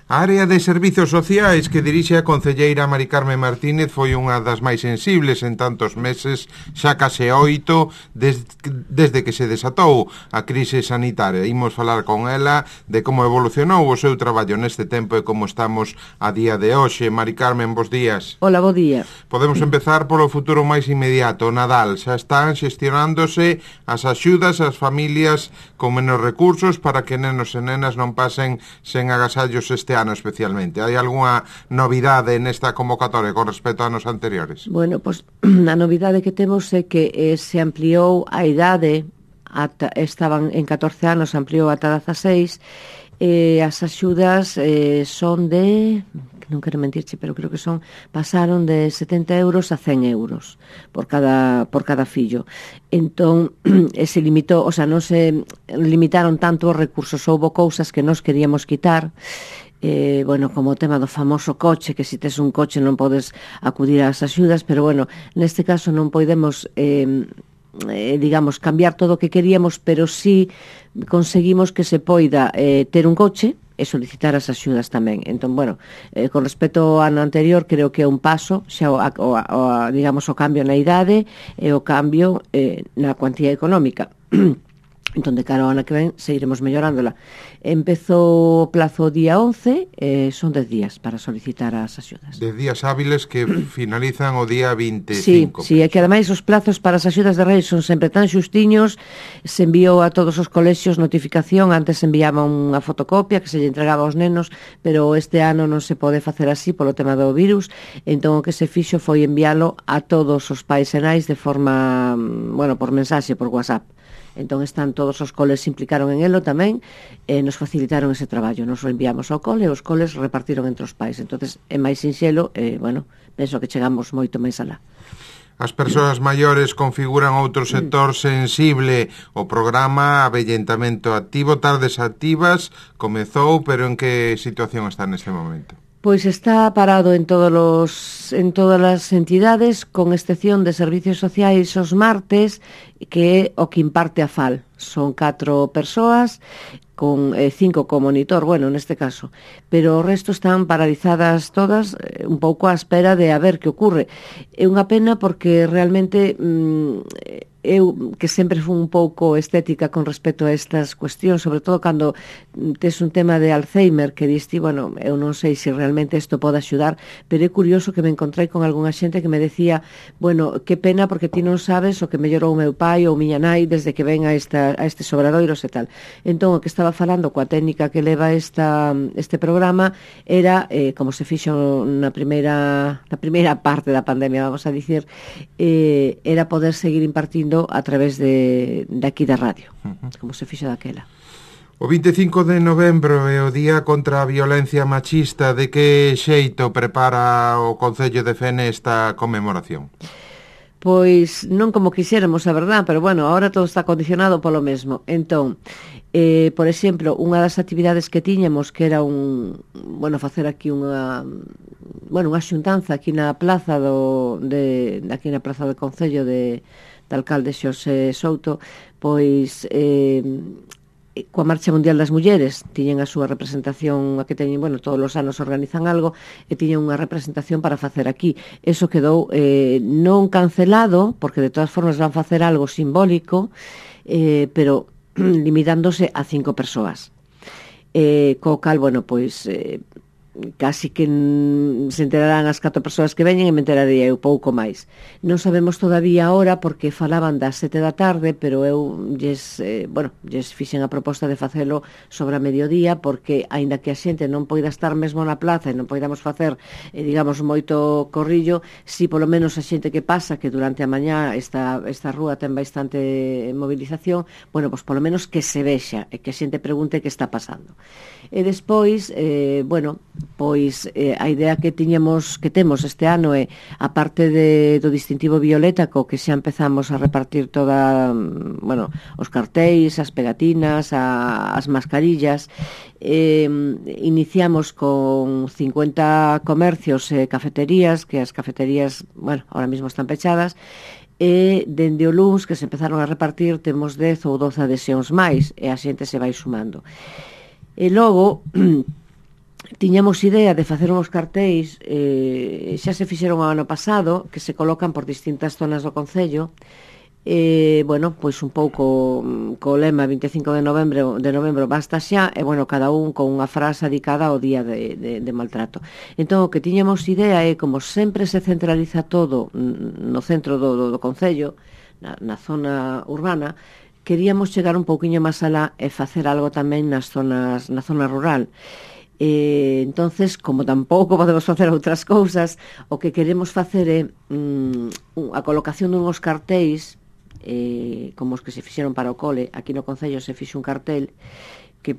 A área de servizos sociais que dirixe a concelleira Mari Carmen Martínez foi unha das máis sensibles en tantos meses, xa case 8, desde que se desatou a crise sanitaria. Imos falar con ela de como evolucionou o seu traballo neste tempo e como estamos a día de hoxe. Mari Carmen, bos días. Hola, bo día. Podemos empezar polo futuro máis inmediato, Nadal. Xa están xestionándose as axudas ás familias con menos recursos para que nenos e nenas non pasen sen agasallos este ano especialmente. Hai algunha novidade nesta convocatoria con respecto a anos anteriores? Bueno, pois a novidade que temos é que se ampliou a idade, estaban en 14 anos, ampliou ata 16, as axudas son de, non quero mentirche, pero creo que pasaron de 70 euros a 100 euros por cada fillo. Entón, se limitou, o sea, non se limitaron tanto os recursos, houbo cousas que nos queríamos quitar, bueno, como o tema do famoso coche, que se tes un coche non podes acudir ás axudas, pero bueno, neste caso non podemos digamos, cambiar todo o que queríamos, pero sí conseguimos que se poida ter un coche e solicitar as axudas tamén. Entón, bueno, con respecto ao ano anterior, creo que é un paso, xa digamos, o cambio na idade e o cambio na cuantía económica. Entón, de cara ao ano que ven, seguiremos mellorándola. Empezou o plazo día 11, son 10 días para solicitar as axudas. 10 días hábiles que finalizan o día 25. Sí, é que ademais os plazos para as axudas de Reis son sempre tan xustiños, se enviou a todos os colexios notificación, antes se enviaba unha fotocopia que se lle entregaba aos nenos, pero este ano non se pode facer así polo tema do virus, entón o que se fixo foi enviálo a todos os pais e nais de forma, bueno, por mensaxe, por WhatsApp. Entón están todos os coles se implicaron en elo tamén, nos facilitaron ese traballo, nos o enviamos ao cole e os coles repartiron entre os pais. Entonces é máis sinxelo, bueno, penso que chegamos moito máis alá. As persoas maiores configuran outro sector sensible. O programa Avellentamento Activo, Tardes Activas, comezou, pero en que situación está neste momento? Pois está parado en todas as entidades, con excepción de servicios sociais os martes, que é o que imparte a FAL. Son 4 persoas, con 5 co monitor, bueno, neste caso. Pero o resto están paralizadas todas, un pouco á espera de a ver que ocurre. É unha pena porque realmente eu, que sempre fui un pouco estética con respecto a estas cuestións, sobre todo cando tes un tema de Alzheimer, que diste, bueno, eu non sei se realmente isto pode axudar, pero é curioso que me encontrei con algunha xente que me decía, bueno, que pena porque ti non sabes o que mellorou o meu pai ou miña nai desde que ven a estes obradoiros e tal. Entón, o que estaba falando coa técnica que leva este programa era, como se fixo na primeira parte da pandemia, vamos a dicir, era poder seguir impartindo a través de aquí da radio, como se fixo daquela. O 25 de novembro é o Día contra a Violencia Machista. De que xeito prepara o Concello de Fene esta conmemoración? Pois non como quixéramos, a verdad, pero bueno, ahora todo está condicionado polo mesmo. Entón, por exemplo, unha das actividades que tiñamos, que era facer aquí unha xuntanza aquí na plaza aquí na plaza do Concello de alcalde Xosé Souto, pois coa Marcha Mundial das Mulleres tiñen a súa representación, a que teñen, bueno, todos os anos organizan algo e tiñen unha representación para facer aquí. Eso quedou non cancelado, porque de todas formas van facer algo simbólico, pero limitándose a 5 persoas. Co cal, bueno, pois casi que se enterarán as 4 persoas que veñen e me enterarei eu pouco máis. Non sabemos todavía a hora porque falaban das 7 da tarde, pero eu lles fixen a proposta de facelo sobre a mediodía porque, aínda que a xente non poida estar mesmo na plaza e non poidamos facer, digamos, moito corrillo, si polo menos a xente que pasa, que durante a mañá esta rúa ten bastante movilización, bueno, pois polo menos que se vexa e que a xente pregunte que está pasando. E despois, pois a idea que temos este ano é, a parte do distintivo violeta, co que xa empezamos a repartir os cartéis, as pegatinas, as mascarillas, iniciamos con 50 comercios e cafeterías, que as cafeterías, ahora mismo están pechadas, e dende o luns que se empezaron a repartir temos 10 ou 12 adhesións máis e a xente se vai sumando. E logo tiñamos idea de facer uns cartéis, xa se fixeron o ano pasado, que se colocan por distintas zonas do concello, bueno, pois un pouco co lema 25 de novembro basta xa, e bueno, cada un con unha frase dedicada ao día de maltrato. Entón, o que tiñamos idea é, como sempre se centraliza todo no centro do concello, na zona urbana, queríamos chegar un pouquiño máis alá e facer algo tamén na zona rural. Entonces, como tampouco podemos facer outras cousas, o que queremos facer é a colocación dunhos cartéis, como os que se fixeron para o cole. Aquí no concello se fixe un cartel que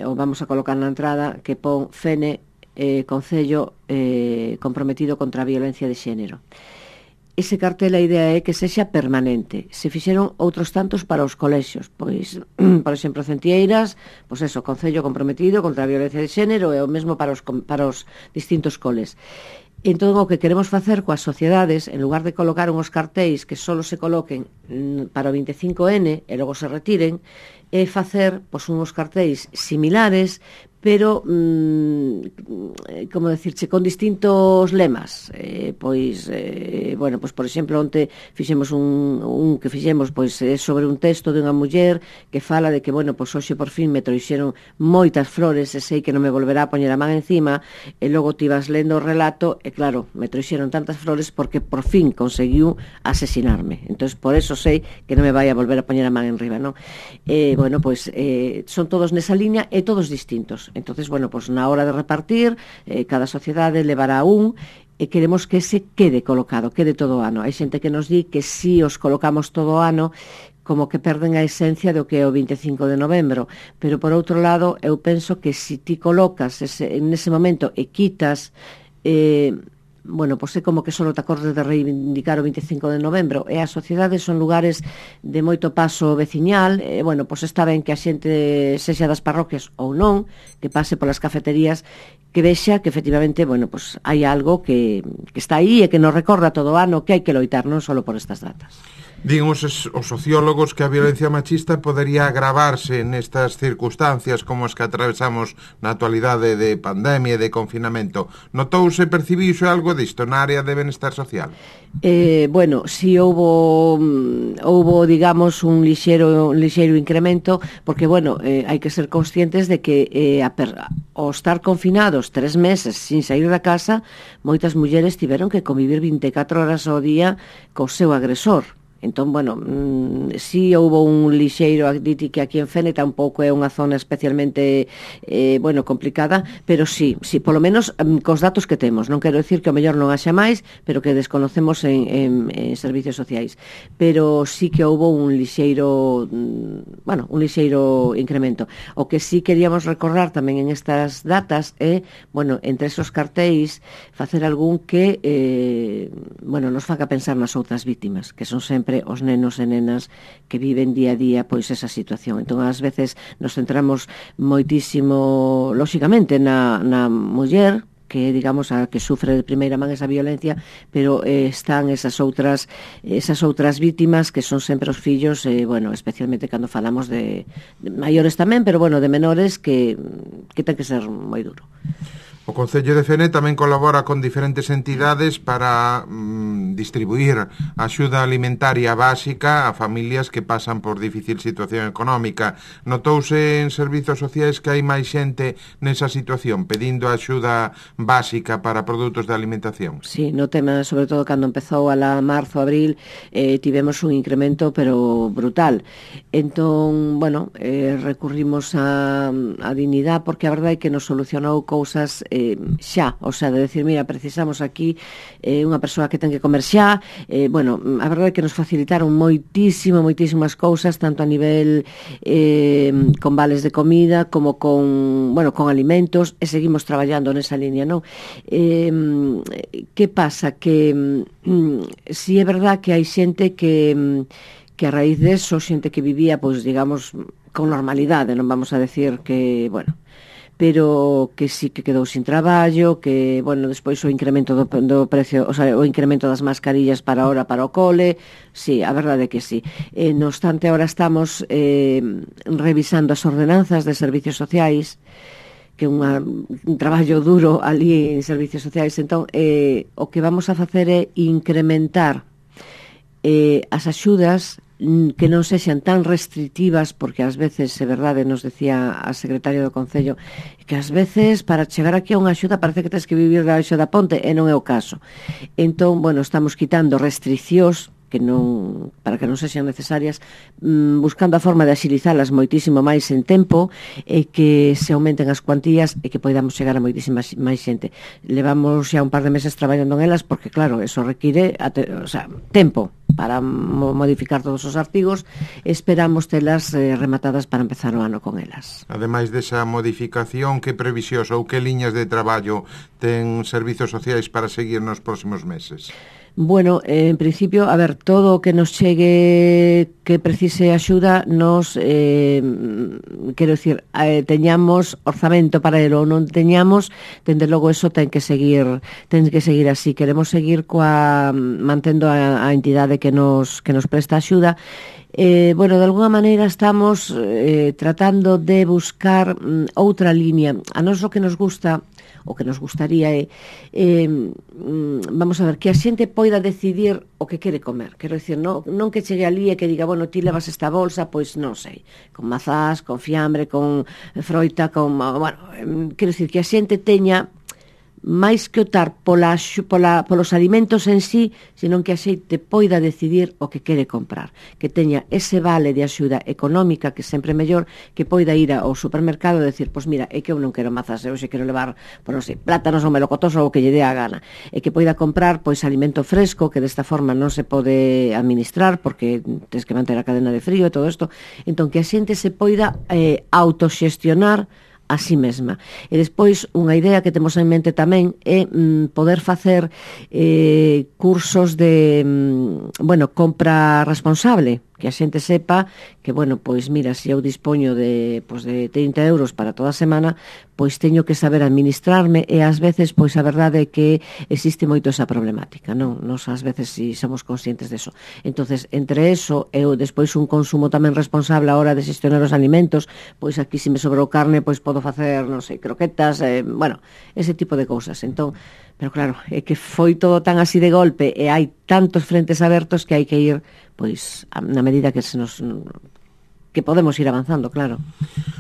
o vamos a colocar na entrada, que pon Fene, concello comprometido contra a violencia de xénero. Ese cartel, a idea é que sexa permanente. Se fixeron outros tantos para os colexios, pois, por exemplo, Centieiras, pois eso, concello comprometido contra a violencia de xénero, e o mesmo para os distintos coles. Entón, o que queremos facer coas sociedades, en lugar de colocar unhos cartéis que só se coloquen para o 25N e logo se retiren, é facer pois, unhos cartéis similares, pero, como decirche, con distintos lemas. Bueno, pois, por exemplo, onte fixemos un que fixemos pois, sobre un texto de unha muller que fala de que, bueno, pois hoxe por fin me trouxeron moitas flores e sei que non me volverá a poñer a man encima, e logo ti vas lendo o relato e claro, me trouxeron tantas flores porque por fin conseguiu asesinarme. Entón, por eso sei que non me vai a volver a poñer a man enriba, non? Bueno, pois son todos nesa liña e todos distintos. Entonces, bueno, pois na hora de repartir, cada sociedade levará un, e queremos que ese quede colocado, quede todo o ano. Hai xente que nos di que si os colocamos todo o ano, como que perden a esencia do que é o 25 de novembro, pero por outro lado, eu penso que si ti colocas nese momento e quitas, bueno, pois é como que só te acordes de reivindicar o 25 de novembro, e as sociedades son lugares de moito paso veciñal, e, bueno, pois está ben que a xente sexa das parroquias ou non, que pase polas cafeterías, que vexa que efectivamente, bueno, pois hai algo que está aí e que nos recorda todo o ano que hai que loitar non só por estas datas. Din os sociólogos que a violencia machista podería agravarse nestas circunstancias como as que atravesamos na actualidade de pandemia e de confinamento. Notouse, percibiuse algo disto na área de benestar social? Bueno, si houbo, digamos, un lixeiro incremento, porque, bueno, hai que ser conscientes de que ao estar confinados 3 meses sin sair da casa, moitas mulleres tiveron que convivir 24 horas ao día co seu agresor. Entón, bueno, si houbo un lixeiro que aquí en Fene tampouco é unha zona especialmente bueno, complicada, pero sí, polo menos cos datos que temos. Non quero dicir que o mellor non haxa máis, pero que desconocemos en servicios sociais. Pero sí que houbo un lixeiro, bueno, un lixeiro incremento. O que sí queríamos recordar tamén en estas datas é, bueno, entre esos cartéis, facer algún que, bueno, nos faga pensar nas outras vítimas, que son sempre os nenos e nenas que viven día a día pois esa situación. Entón, ás veces nos centramos moitísimo, lóxicamente, na muller, que digamos a que sufre de primeira man esa violencia, pero están esas outras vítimas que son sempre os fillos, bueno, especialmente cando falamos de maiores tamén, pero bueno, de menores que ten que ser moi duro. O Concello de Fene tamén colabora con diferentes entidades para distribuir axuda alimentaria básica a familias que pasan por difícil situación económica. Notouse en servizos sociais que hai máis xente nesa situación pedindo axuda básica para produtos de alimentación? Sí, no tema, sobre todo cando empezou a marzo, abril, tivemos un incremento pero brutal. Entón, bueno, recurrimos a Dignidad, porque a verdade é que nos solucionou cousas xa, o sea, de decir, mira, precisamos aquí unha persoa que ten que comer xa, bueno, a verdade é que nos facilitaron moitísimas cousas, tanto a nivel con vales de comida como con, bueno, con alimentos, e seguimos traballando nesa línea, non? Que pasa? Que si é verdad que hai xente que a raíz deso, xente que vivía, pois, digamos, con normalidade, non vamos a decir que, bueno, pero que sí que quedou sin traballo, que, bueno, despois o incremento do precio, o sea, o incremento das mascarillas para o cole, sí, a verdade é que sí. No obstante, ahora estamos revisando as ordenanzas de servicios sociais, que un traballo duro ali en servicios sociais. Entón, o que vamos a facer é incrementar as axudas que non sexan tan restrictivas, porque ás veces, é verdade, nos decía a secretaria do Concello, que ás veces para chegar aquí a unha axuda parece que tens que vivir debaixo da ponte, e non é o caso. Entón, bueno, estamos quitando restriccións que non, para que non sexan necesarias, buscando a forma de axilizalas moitísimo máis en tempo, e que se aumenten as cuantías e que podamos chegar a moitísima máis xente. Levamos xa un par de meses traballando en elas, porque claro, eso require tempo para modificar todos os artigos. Esperamos telas rematadas para empezar o ano con elas. Ademais desa modificación, que previsións ou que liñas de traballo ten servizos sociais para seguir nos próximos meses? Bueno, en principio, a ver, todo o que nos chegue que precise axuda, nos, quero dicir, teñamos orzamento para elo ou non teñamos, dende logo eso ten que seguir así. Queremos seguir mantendo a entidade que nos presta axuda. Bueno, de alguna maneira estamos tratando de buscar outra liña. A nós o que nos gusta, o que nos gustaría é, vamos a ver, que a xente poida decidir o que quere comer. Quero dicir, non que chegue ali e que diga, bueno, ti levas esta bolsa, pois non sei, con mazás, con fiambre, con froita, quero dicir, que a xente teña máis que optar polos alimentos en sí, senón que a xente poida decidir o que quere comprar, que teña ese vale de axuda económica, que sempre é mellor, que poida ir ao supermercado e decir, pois mira, é que eu non quero mazas, eu xe quero levar, non sei, plátanos ou melocotos ou o que lle dé a gana, e que poida comprar pois alimento fresco, que desta forma non se pode administrar, porque tens que manter a cadena de frío e todo isto. Entón, que a xente se poida autoxestionar a si mesma. E despois, unha idea que temos en mente tamén é poder facer cursos de compra responsable, que a xente sepa que, bueno, pois mira, se eu dispoño de 30 euros para toda a semana, pois teño que saber administrarme, e ás veces, pois a verdade é que existe moito esa problemática, non? Nos ás veces si somos conscientes deso. Entonces, entre eso e despois un consumo tamén responsable a hora de xestionar os alimentos, pois aquí se me sobrou carne, pois podo facer, non sei, croquetas, ese tipo de cousas. Entón, pero claro, é que foi todo tan así de golpe e hai tantos frentes abertos que hai que ir, pois, na medida que que podemos ir avanzando, claro.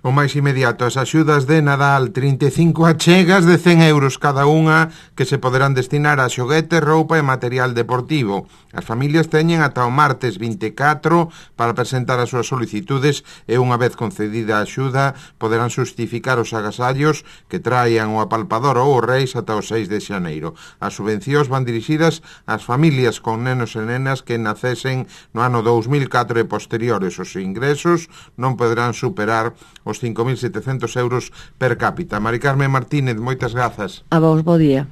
O máis inmediato, as axudas de Nadal, 35 achegas de 100 euros cada unha, que se poderán destinar a xoguetes, roupa e material deportivo. As familias teñen ata o martes 24 para presentar as súas solicitudes, e unha vez concedida a axuda poderán xustificar os agasallos que traian o apalpador ou os reis ata o 6 de xaneiro. As subvencións van dirixidas ás familias con nenos e nenas que nacesen no ano 2004 e posteriores. Os ingresos non poderán superar os 5.700 euros per cápita. Mari Carmen Martínez, moitas grazas. A vos, bo día.